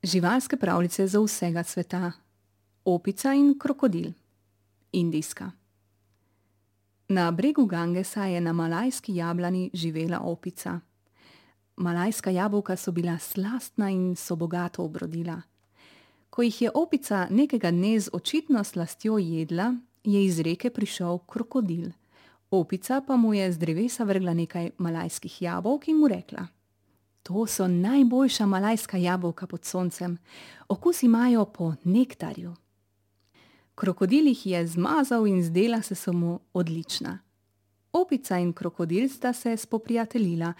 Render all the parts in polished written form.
Živalske pravljice za vsega sveta. Opica in krokodil. Indijska. Na bregu Gangesa je na malajski jablani živela opica. Malajska jabolka so bila slastna in so bogato obrodila. Ko jih je opica nekega dne z očitno slastjo jedla, je iz reke prišel krokodil. Opica pa mu je z drevesa vrgla nekaj malajskih jabolk in mu rekla: To so najboljša malajska jabolka pod soncem. Okus imajo po nektarju. Krokodil jih je zmazal in zdela se mu odlična. Opica in krokodil sta se spoprijateljila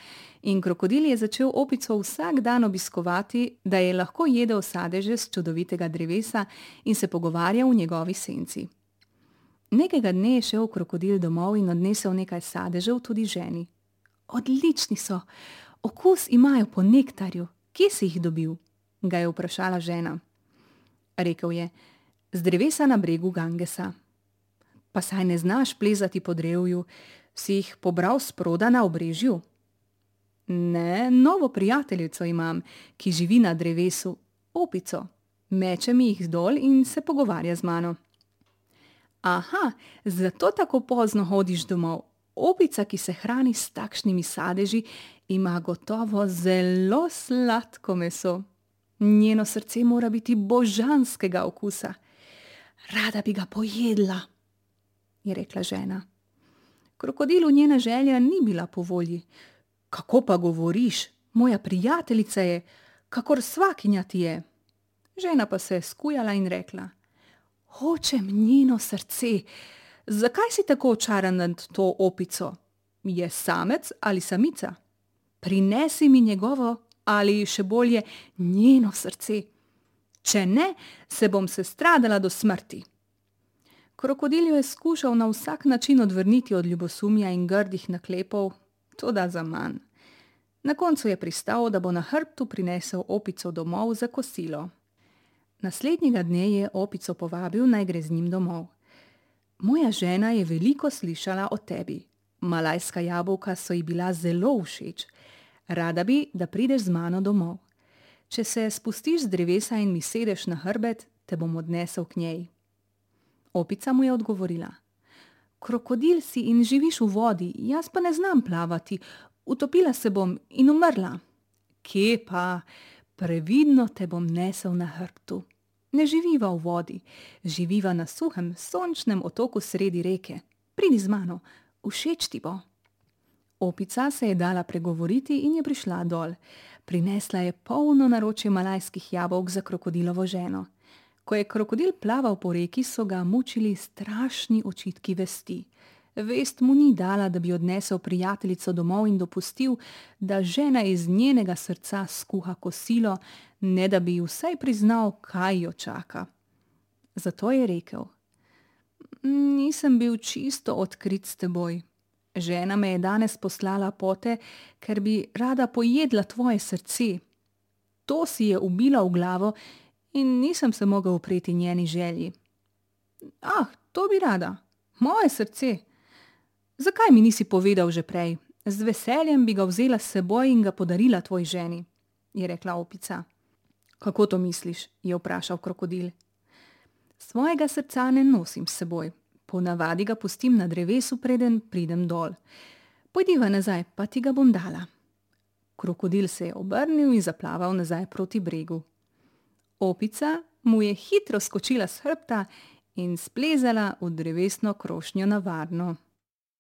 in krokodil je začel opico vsak dan obiskovati, da je lahko jedel sadeže s čudovitega drevesa in se pogovarjal v njegovi senci. Nekega dne je šel krokodil domov in odnesel nekaj sadežev tudi ženi. Odlični so, okus imajo po nektarju. Kje si jih dobil? Ga je vprašala žena. Rekel je: Z drevesa na bregu Gangesa. Pa saj ne znaš plezati po drevju, si jih pobral sproda na obrežju? Ne, novo prijateljico imam, ki živi na drevesu, opico. Meče mi jih dol in se pogovarja z mano. Aha, zato tako pozno hodiš domov. Opica, ki se hrani s takšnimi sadeži, ima gotovo zelo sladko meso. Njeno srce mora biti božanskega okusa. Rada bi ga pojedla, je rekla žena. Krokodilu njena želja ni bila po volji. Kako pa govoriš? Moja prijateljica je, kakor svakinja ti je. Žena pa se je skujala in rekla: Hočem njeno srce. Zakaj si tako očaran nad to opico? Je samec ali samica? Prinesi mi njegovo ali še bolje njeno srce. Če ne, se bom sestradala do smrti. Krokodil jo je skušal na vsak način odvrniti od ljubosumja in grdih naklepov, toda zaman. Na koncu je pristal, da bo na hrbtu prinesel opico domov za kosilo. Naslednjega dne je opico povabil, naj gre z njim domov. Moja žena je veliko slišala o tebi. Malajska jabolka so ji bila zelo všeč. Rada bi, da prideš z mano domov. Če se spustiš z drevesa in mi sedeš na hrbet, te bom odnesel k njej. Opica mu je odgovorila: Krokodil si in živiš v vodi, jaz pa ne znam plavati, utopila se bom in umrla. Kje pa, previdno te bom nesel na hrbtu. Ne živiva v vodi, živiva na suhem, sončnem otoku sredi reke. Pridi z mano, všeč ti bo. Opica se je dala pregovoriti in je prišla dol. Prinesla je polno naročje malajskih jabolk za krokodilovo ženo. Ko je krokodil plaval po reki, so ga mučili strašni očitki vesti. Vest mu ni dala, da bi odnesel prijateljico domov in dopustil, da žena iz njenega srca skuha kosilo, ne da bi vsaj priznal, kaj jo čaka. Zato je rekel: Nisem bil čisto odkrit s teboj. Žena me je danes poslala pote, ker bi rada pojedla tvoje srce. To si je ubila v glavo in nisem se mogel upreti njeni želji. Ah, to bi rada. Moje srce. Zakaj mi nisi povedal že prej? Z veseljem bi ga vzela s seboj in ga podarila tvoji ženi, je rekla opica. Kako to misliš? Je vprašal krokodil. Svojega srca ne nosim s seboj. Ponavadi ga pustim na drevesu, preden pridem dol. Pojdiva nazaj, pa ti ga bom dala. Krokodil se je obrnil in zaplaval nazaj proti bregu. Opica mu je hitro skočila s hrbta in splezala v drevesno krošnjo na varno.